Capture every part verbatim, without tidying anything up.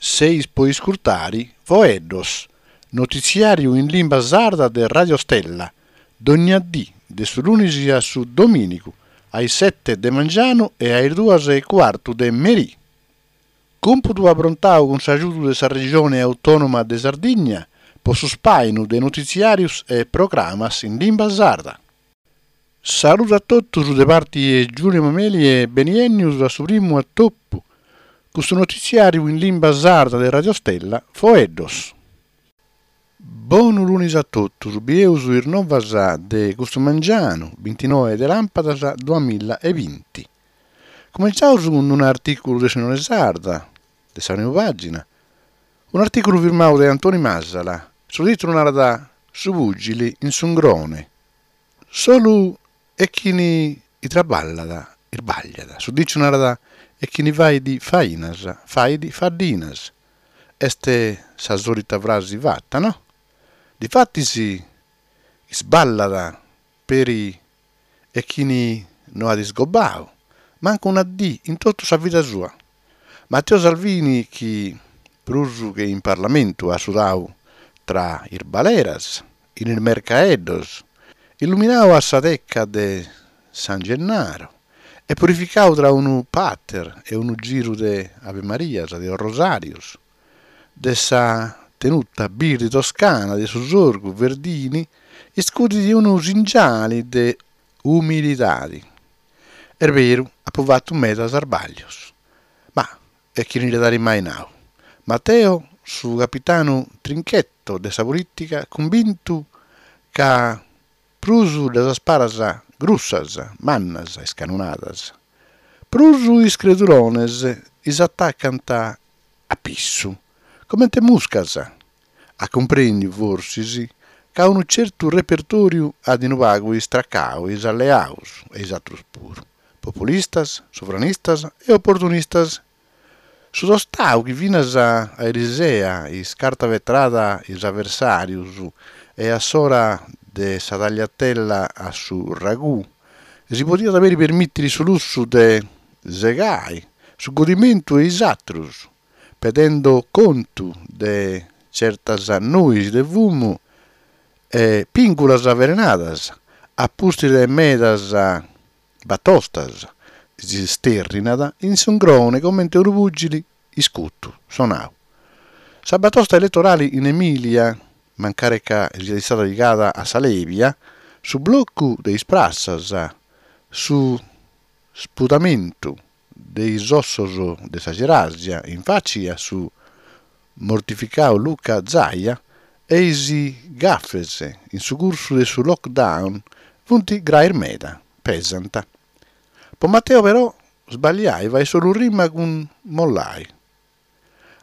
Seis pro iscurtare Foeddos, notitziàriu in limba sarda de Radio Stella, dònnia die de su lunis a su domìnigu, a is sete de mangianu e a is duas e cuartu de merie. Còmpudu aprontadu cun s'agiudu de sa Regione Autònoma de Sardigna pro su ispàinu de notitziàrios e programmas in limba sarda. Saludu a totus de parte de Giulio Mameli e benènnidos a su primu atopu cun su notitziàriu in limba sarda de Radio Stella, Foeddos. Bonu lunis a totus, bieus is novas de custu mangianu, bintinoe de làmpadas duamilla e binti. Cumentzaus cun un'artìculu de s'Unione Sarda, de sa prima pàgina, un'artìculu firmadu de Antoni Masala, su tìtulu narat Su pùgile in s'ungrone. Solu e chini traballat isbagliat, su dìciu narat e chini fait fainas fait faddinas. Est sa sòlita frase fata, no? Difatis isballat peri e chini no at isgobadu, mancu una die in totu sa vida sua. Matteo Salvini, chi prus che in Parlamentu at sudadu tra is baleras, in is mercaeddos, illuminadu a sa teca de San Gennaro e purificadu tra unu pater e unu giru de Ave Marias, de Rosàrios, de sa tenuta birde toscana de su sorgu Verdini, iscudit unu singiale de umilidade. Est beru, apo fatu medas isbàllios. Ma e chini dd'at mai nadu? Matteo, su capitanu trinchetto de sa polìtica, cumbintu ca prus ddas paras grussas, mannas, iscannonadas, prus is credulones is atacant a pissu, comente muscas. At cumprèndidu, forsis, ca unu tzertu repertòriu at unu pagu istracadu is alleados e is àteros puru, populistas, sovranistas e oportunistas. Su tostadu chi finas a erisera iscartavetraiat is aversàrios e a s'ora de sa tagliatella a su ragù si podiat peri permìtere su lussu de segare su godimentu de is àteros, pedende contu de tzertas nues de fumu e pìngulas avelenadas, a pustis de medas batostas, s'istèrrinat in s'ungrone comente unu pùgile iscutu, sonadu. Sa batosta eletorale in Emìlia, mancari ca siat istada pigada a sa lèbia, su blocu de is prassas, su spudamentu de is ossos de sa cerasia in fache a su mortificadu Luca Zaia e is gafes in su cursu de su lockdown funt graes meda, pesant. Pro Matteo però sbagliare faghet solu rima cun mollare.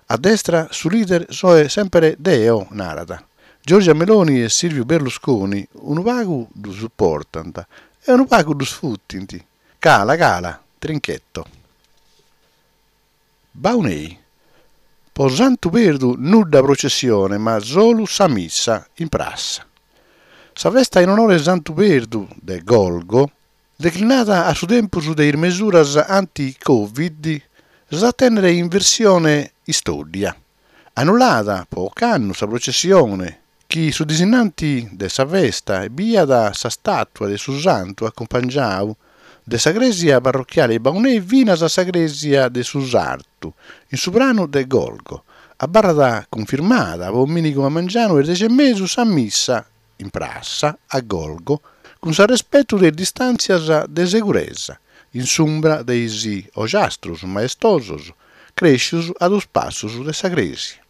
A destra su leader so semper deo, narat. Giorgia Meloni e Silvio Berlusconi unu pagu ddu suportant e unu pagu ddu sfutint. Cala, cala, trinchetto. Baunei. Pro Santu Perdu nudda processione, ma solu sa missa in prassa. Sa festa in onore Santu Perdu de Golgo, declinada a su tempus de is mesuras anti-Covid, s'at a tènnere in versione istòddia. Annullada pro ocannu sa processione, chi su disinnante de sa festa biat sa stàtua de su santu acumpangiadu de sa crèsia parrochiale Baunei finas a sa crèsia de su Sartu, in su pranu de Golgo. Abarrat cunfirmada pro domìnigu a mangianu a is deghe e mesu sa missa in prassa a Golgo, cun s'arrespetu de is distàntzias de seguresa, in s'umbra de is ogiastros maestosos crèschidos a duos passos de sa crèsia.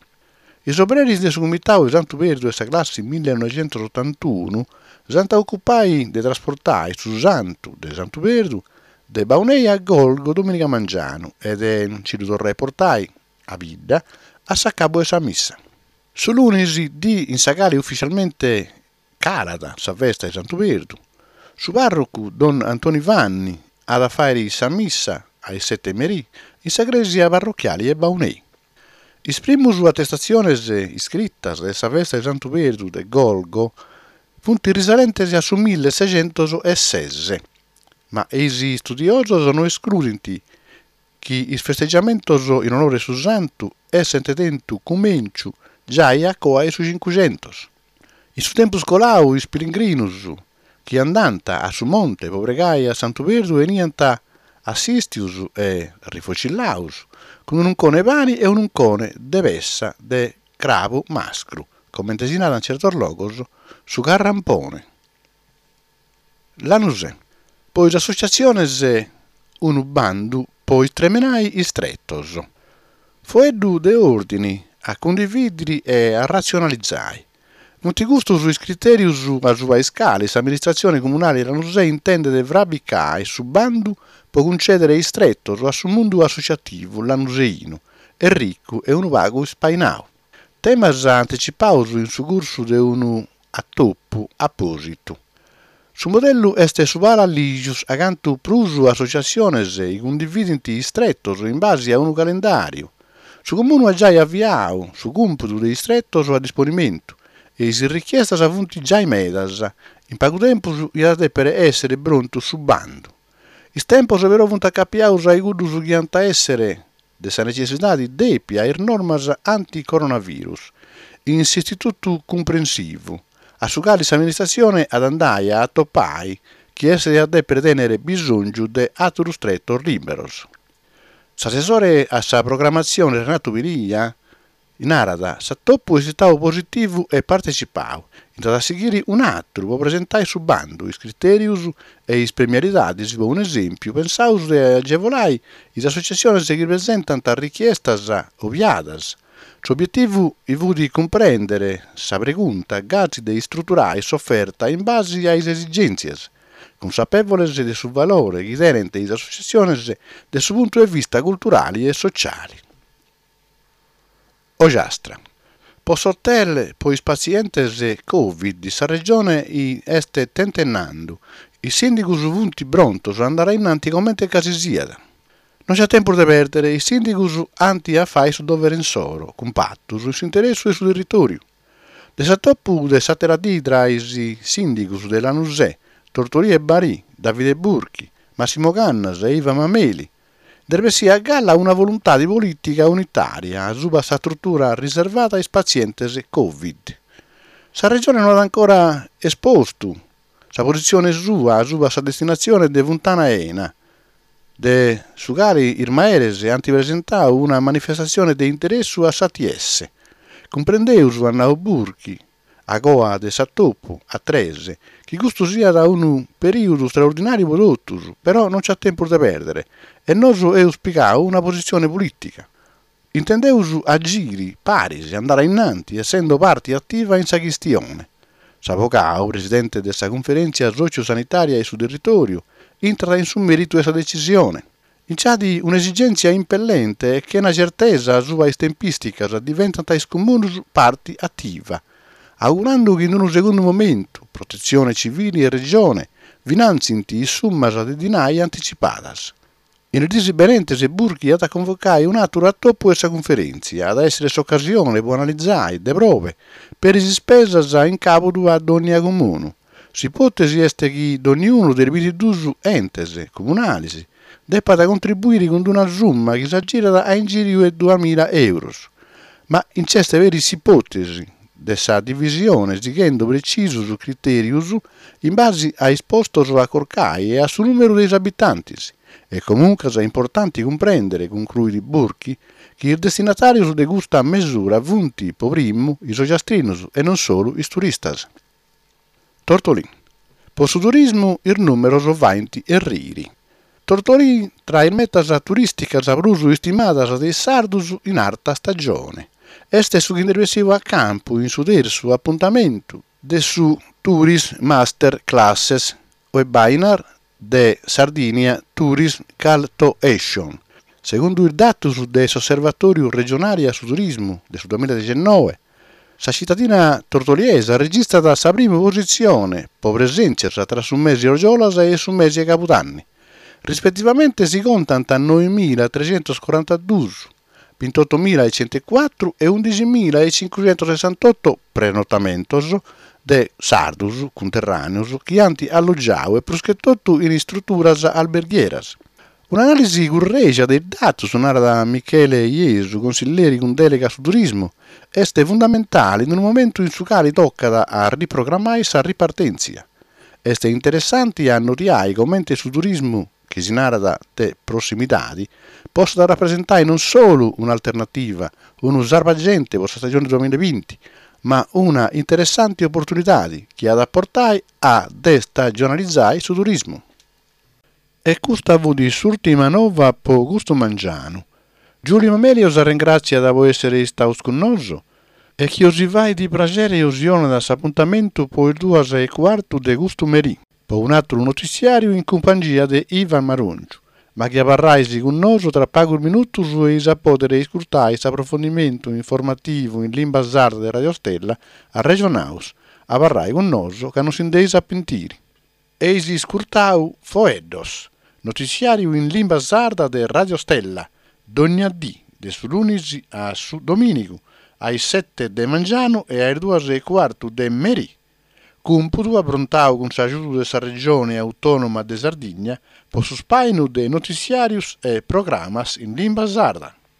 Is obreris de su Comitadu de Santu Perdu de sa classe millenoighentos-otantunu s'ant a ocupare de trasportare su santu de Santu Perdu de Baunei a Golgo domìniga mangianu e de nche ddu torrare a portare a bidda a s'acabu de sa missa. Su lunis, die in sa cale ufitzialmente calat sa festa de Santu Perdu, su pàrrocu Don Antoni Fanni at a fàghere sa missa a is sete e merì in sa crèsia parrochiale de Baunei. Is primos atestatziones iscritas de sa festa de Santu Perdu de Golgo sunt risalentes a su milleseighentes e ses, ma is istudiosos no escludent chi is festeggiamentos in onore de su santu essent tentu cumintzu giai a coa 'e su Cincuxentos. In su tempus coladu is pellegrinos chi andant a su monte pro pregare a Santu Perdu 'eniant assistidos e rifocillados cun un'uncone 'e pane e un'uncone de petza de crabu mascru, comente si narat in tzertos logos, su carrampone. Lanusè. Pro is assotziatziones unu bandu pro istremenare is tretos. Foeddu de òrdine a cundivìdere e a ratzionalizare. Sunt custos is critèrios a subra is cales s'amministratzione comunale de Lanusè intendet fraigare su bandu pro cuntzèdere is tretos a su mundu assotziativu lanuseinu, e ricu e unu pagu ispainadu. Temas antitzipados in su cursu de unu atopu apòsitu. Su modellu est su PalaLìgius, acanta prus assotziatziones cundivident is tretos in base a unu calendàriu. Su Comunu at giai aviadu su còmpudu de is tretos a disponimentu e is richiestas sunt giai medas. In pagu tempus diat a dèpere èssere prontu su bandu. Is tempos però sunt acapiados a cuddos chi ant a èssere de sa netzessidade dèpia a is normas anti-coronavirus in s'Istitutu Cumprensivu, a su cale s'amministratzione at a andare a atopare chie est a dèpere tènnere bisòngiu de àteros tretos lìberos. S'assessore a sa programmatzione Renato Pilia narat s'atopu est istadu positivu e partetzipadu. Nd'at a sighire un'àteru pro presentare su bandu, is critèrios e is premialidades, pro un'esèmpiu, pensamus de agevolare is assotziatziones chi presentant richiestas obiadas. S'obietivu fit cumprèndere sa pregunta gasi de istruturare s'oferta in base a is esigèntzias, cunsapèvoles de su valore chi tenent is assotziatziones de su puntu de vista culturale e sotziale. Ogiastra. Pro s'hotel pro is patzientes Covid sa Regione est tentennende. Is sìndigos sunt prontos a andare a in antis comente ca si siat. Non b'at tempus de pèrdere, is sìndigos ant a fàghere su dovere issoro, cumpatos in s'interessu de su territòriu. De s'atopu de s'àtera die tra is sìndigos de Lanusè, Tortolì e Barì, Davide Burchi, Massimo Cannas e Ivan Mameli, nd'est bessida a galla una voluntade polìtica unitària subra sa istrutura riservada a is patzientes Covid. Sa Regione no at ancora espostu sa positzione sua subra sa destinatzione de Funtana Ena, de su cale is meres ant presentadu una manifestatzione de interessu a s'A T S. Cumprendemus, at nadu Burchi, a coa de s'atopu, a tres, chi custu siat unu perìodu istraordinàriu pro totus, però non b'at tempus de pèrdere e nos amus pigadu una positzione polìtica. Intendemus agire paris, andare a in antis, essende parte ativa in sa chistione. S'avocadu, presidente de sa Cunferèntzia Sòtziu-Sanitària e su Territòriu, intrat in su mèritu de sa detzisione. Nch'at un'esigèntzia impellente e chena tzertesa subra is tempìsticas diventant is comunos parte ativa, augurende chi in unu segundu momentu Protetzione Tzivile e Regione finantzient is summas de dinare antitzipadas. In is dies benentes Burchi at a convocare un'àteru atopu de sa cunferèntzia, at a èssere s'ocasione pro analizare de probe peri is ispesas in càbudu a dònnia comunu. S'ipòtesi est chi donniunu de is bintiduos entes comunales depat contribuire cun una summa chi s'agirat a inghìriu de duamìgia euros. Ma nch'est peri s'ipòtesi de sa divisione sighende pretzisos critèrios in base a is postos a corcare e a su nùmeru de is abitantes. E comuncas è importante cumprèndere, concruit Burchi, chi is destinatàrios de custa mesura sunt pro primu is ogiastrinos e non solu is turistas. Tortolì. Pro su turismu is nùmeros faghent errire. Tortolì tra is metas turìsticas prus istimadas de is sardos in arta stagione. Est su chi nd'est bessidu a campu in su tertzu apuntamentu de su Tourism Master Classes webinar de Sardinia Tourism Call to Action. Segundu is datos de s'Osservatòriu Regionale a su Turismu de su duamìgiadeghennoe, sa tzitadina tortoliesa registrat sa prima positzione pro presèntzias tra su mese Orgiolas e su mese Cabudanni. Rispetivamente si contant noemilatrecentoscorantaduos, bintottomilacentocuatro e ùndighiemilacincucentosessantotto prenotamentos de sardos cunterràneos chi ant allogiadu e prus che totu in istruturas alberghieras. Un'anàlisi currègia de is datos, narat Michele Iesu, consilleri cun dèlega a su turismu, est fundamentale in unu momentu in su cale tocat a riprogrammare sa ripartèntzia. Est interessante a annoditare comente su turismu chi si narat de prossimidade potzat rapresentare non solu un'alternativa, unu salvagente pro sa stagione duamìgiabinti, ma una interessante oportunidade chi at a portare a destagionalizare su turismu. E custa fiat s'ùrtima nova pro custu mangianu. Giulio Mameli bos ringràtziat pro èssere istados cun nois e chi bos faghet praghere bos donat s'apuntamentu pro is duas e cuartu de custu merie, pro un'àteru notissiàriu in cumpangia de Ivan Marongiu. Ma chi abarrais cun nois tra pagos minutos ais a pòdere ascurtare s'aprofundimentu informativu in limba sarda de Radio Stella, Arrejonaus. Abarrai cun nois ca non si nd'eis a pentire. Eis ascurtadu Foeddos, notissiàriu in limba sarda de Radio Stella, dònnia die, de su lunis a su domìnigu, a is sete de mangianu e a is duas e cuartu de merie. Cumpudu aprontadu cun s'agiudu de sa Regione Autònoma de Sardigna pro su ispàinu de notissiàrios e programmas in limba sarda.